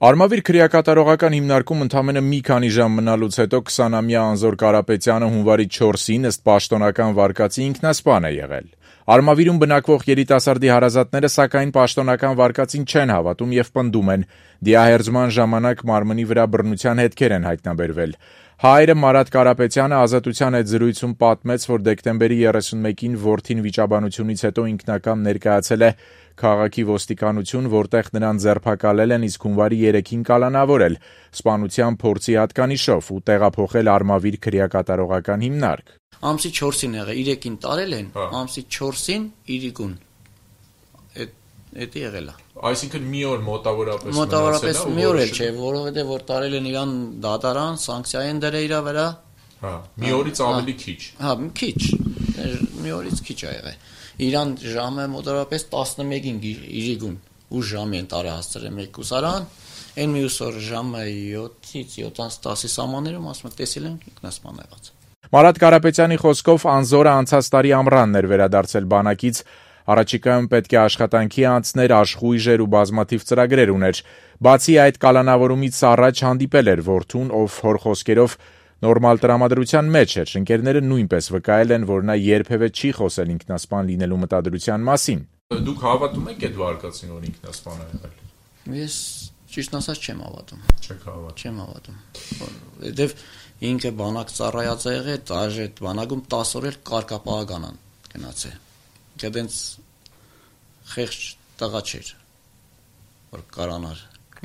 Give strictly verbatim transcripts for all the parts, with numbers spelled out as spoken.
Արմավիր քրեակատարողական հիմնարկում ընդամենը մի քանի ժամ մնալուց հետո քսանամյա Անզոր Կարապետյանը հունվարի չորսին ըստ պաշտոնական վարկածի ինքնասպան է եղել։ Արմավիրում բնակվող երիտասարդի հարազատները սակայն պաշտոնական վարկածին չեն հավատում եւ պնդում են՝ դիահերձման ժամանակ մարմնի վրա բռնության հետքեր են հայտնաբերվել։ Հայրը Մարատ Կարապետյանը Ազատության հետ զրույցում պատմեց, որ դեկտեմբերի երեսունմեկին որդին վիճաբանությունից հետո ինքնակամ ներկայացել է քաղաքի ոստիկանություն, որտեղ նրան ձերբակալել են, իսկ հունվարի երեքին կալանավորել սպանության փորձի հատկանիշով ու տեղափոխել Արմավիր քրեակատարողական հիմնարկ։ Ամսի չորսին եղել, երեքին տարել են, ամսի չորսին իրիկուն։ Էդ եղել է։ Այսինքն մի օր մոտավորապես մոտավորապես մի օր էլ չէ, որովհետև որ տարել են իրան դատարան, սանկցիա են դրել իր վրա։ Հա, մի օրից ավելի քիչ։ Հա, քիչ։ Մի օրից քիչ ա եղել։ Իրան ժամը մոտավորապես տասնմեկին իրիկուն ու ժամի են տարել հասցրել մեկ կուսարան, այն մյուս օր ժամը յոթից յոթանց տասի սահմաններում ասում են տեսել են ինքնասպան եղած։ Մարատ Կարապետյանի խոսքով Անզորը անցած տարի ամռանն էր վերադարձել բանակից, առաջիկայում պետք է աշխատանքի անցներ, աշխույժեր ու բազմաթիվ ծրագրեր ուներ։ Բացի այդ կալանավորումից առաջ հանդիպել էր որդուն, ով հոր խոսքերով նորմալ տրամադրության մեջ էր։ Ընկերները նույնպես վկայել են, որ նա երբևէ չի խոսել ինքնասպան լինելու մտադրության մասին։ Դուք հավատում եք այդ վարկածին, որ ինքնասպան է եղել։ Ես ճիշտ ասած չեմ հավատում։ Չեք հավատում։ Չեմ հավատում։ Որովհետև ինքը բանակ ծառայած է եղել, դաժե բանակում տասը օր էլ կարգապահական գնացել։ Դենց խեղճ տղա չէր, որ կարանար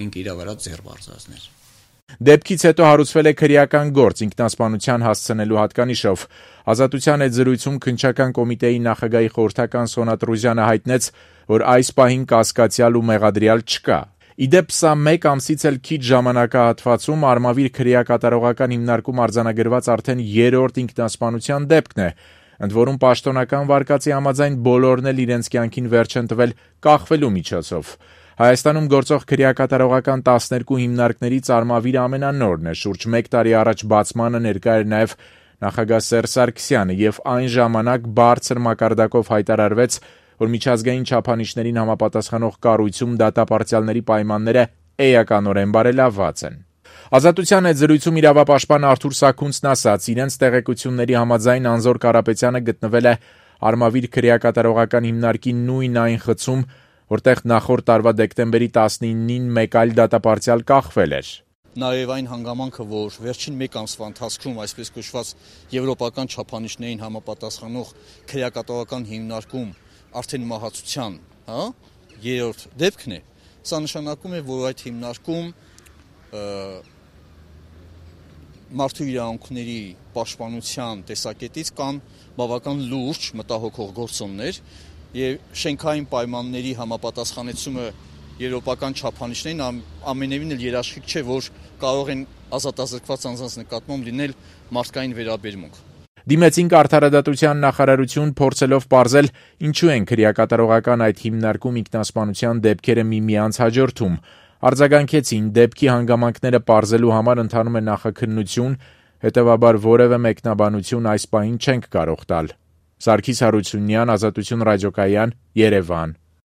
ինք իր վրա ձեռ բարձրացներ։ Դեպքից հետո հարուցվել է քրեական գործ ինքնասպանության հասցնելու հատկանիշով։ Ազատության հետ զրույցում քննչական կոմիտեի նախագահի խորհրդական Սոնա Տրուզյանը հայտնեց, որ այս պահին կասկածյալ ու մեղադրյալ չկա։ Իդեպ սա մեկ ամսից էլ քիչ ժամանակահատվածում Արմավիր քրեակատարողական հիմնարկում արձանագրված արդեն երրորդ ինքնասպանության դեպքն է, ընդ որում պաշտոնական վարկածի համաձայն բոլորն էլ իրենց կյանքին վերջ են տվել կախվելու միջոցով։ Հայաստանում գործող քրեակատարողական տասներկու հիմնարկներից Արմավիրը ամենանորն է, շուրջ մեկ տարի առաջ բացմանը ներկա էր նաև նախագահ Սերժ Սարգսյանը եւ այն ժամանակ բարձր մակարդակով հայտարարվեց, որ միջազգային չափանիշներին համապատասխանող կառույցում դատապարտյալների պայմանները էականորեն բարելավված են։ Ազատության հետ զրույցում իրավապաշտպան Արթուր Սաքունցն ասաց, իրենց տեղեկությունների համաձայն Անզոր Կարապետյանը գտնվել է Արմավիր քրեակատարողական հիմնարկի նույն այն խցում, որտեղ նախորդ տարվա դեկտեմբերի տասնինին մեկ այլ դատապարտյալ կախվել էր։ Նաև այն հանգամանքը, որ վերջին մեկ ամսվա ընթացքում այսպես կոչված եվրոպական չափանիշներին համապատասխանող քրեակատարողական հիմնարկում արդեն մահացության, հա, երրորդ դեպքն է, սա նշանակում է, որ այդ հիմնարկում մարդու իրավունքների պաշտպանության տեսակետից կան բավական լուրջ մտահոգող գործոններ եւ շենքային պայմանների համապատասխանեցումը եվրոպական չափանիշներին ամենևին էլ երաշխիք չէ, որ կարող են ազատազրկված անձանց նկատմամբ լինել մարդկային վերաբերմունք։ Դիմեցինք արդարադատության նախարարություն փորձելով պարզել, ինչու են քրեակատարողական այդ հիմնարկում ինքնասպանության դեպքերը միմյանց հաջորդում։ Արձագանքեցին, դեպքի հանգամանքները պարզելու համար ընթանում է նախաքննություն, հետևաբար որևէ մեկնաբանություն այս պահին չենք կարող տալ։ Սարգիս Հարությունյան, Ազատություն ռադիոկայան, Երևան։